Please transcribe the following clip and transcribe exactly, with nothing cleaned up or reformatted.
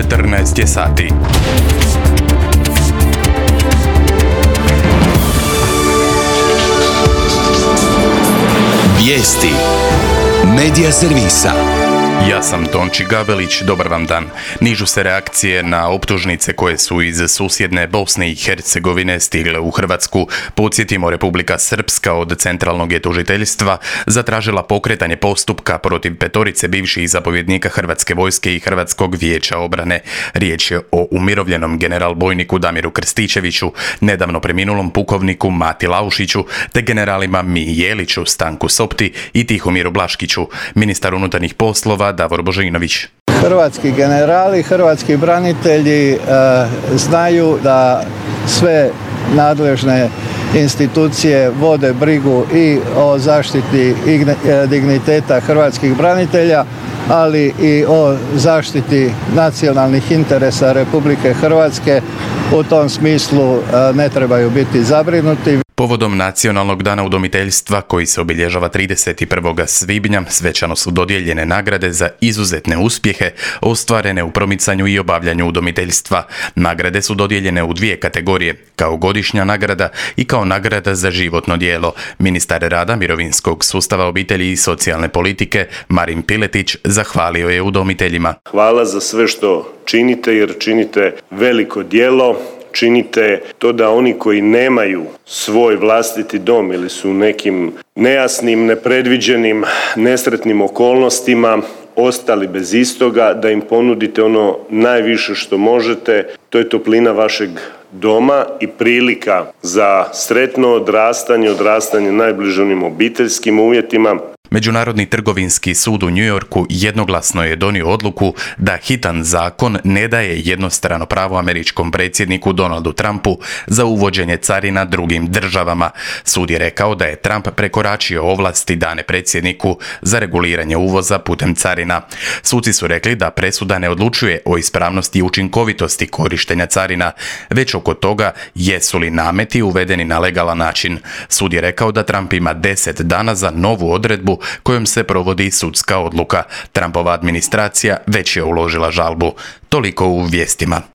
četrnaest je sati. Vijesti Medija servisa. Ja sam Tonči Gabelić, dobar vam dan. Nižu se reakcije na optužnice koje su iz susjedne Bosne i Hercegovine stigle u Hrvatsku. Podsjetimo, Republika Srpska od centralnog je tužiteljstva zatražila pokretanje postupka protiv petorice bivših zapovjednika Hrvatske vojske i Hrvatskog vijeća obrane. Riječ je o umirovljenom general bojniku Damiru Krstičeviću, nedavno preminulom pukovniku Mati Laušiću, te generalima Miji Jeliću, Stanku Sopti i Tihomiru Blaškiću. Ministar unutarnjih poslova Davor Božinović. Hrvatski generali, hrvatski branitelji e, znaju da sve nadležne institucije vode brigu i o zaštiti digniteta hrvatskih branitelja, ali i o zaštiti nacionalnih interesa Republike Hrvatske. U tom smislu ne trebaju biti zabrinuti. Povodom Nacionalnog dana udomiteljstva, koji se obilježava trideset prvog svibnja, svečano su dodijeljene nagrade za izuzetne uspjehe ostvarene u promicanju i obavljanju udomiteljstva. Nagrade su dodijeljene u dvije kategorije, kao godišnja nagrada i kao nagrada za životno djelo. Ministar rada, mirovinskog sustava, obitelji i socijalne politike Marin Piletić zahvalio je udomiteljima. Hvala za sve što činite, jer činite veliko djelo. Činite to da oni koji nemaju svoj vlastiti dom ili su u nekim nejasnim, nepredviđenim, nesretnim okolnostima ostali bez istoga, da im ponudite ono najviše što možete, to je toplina vašeg doma i prilika za sretno odrastanje, odrastanje najbliže onim obiteljskim uvjetima. Međunarodni trgovinski sud u New Yorku jednoglasno je donio odluku da hitan zakon ne daje jednostrano pravo američkom predsjedniku Donaldu Trumpu za uvođenje carina drugim državama. Sud je rekao da je Trump prekoračio ovlasti dane predsjedniku za reguliranje uvoza putem carina. Suci su rekli da presuda ne odlučuje o ispravnosti i učinkovitosti korištenja carina, već oko toga jesu li nameti uvedeni na legalan način. Sud je rekao da Trump ima deset dana za novu odredbu kojom se provodi sudska odluka. Trumpova administracija već je uložila žalbu. Toliko u vijestima.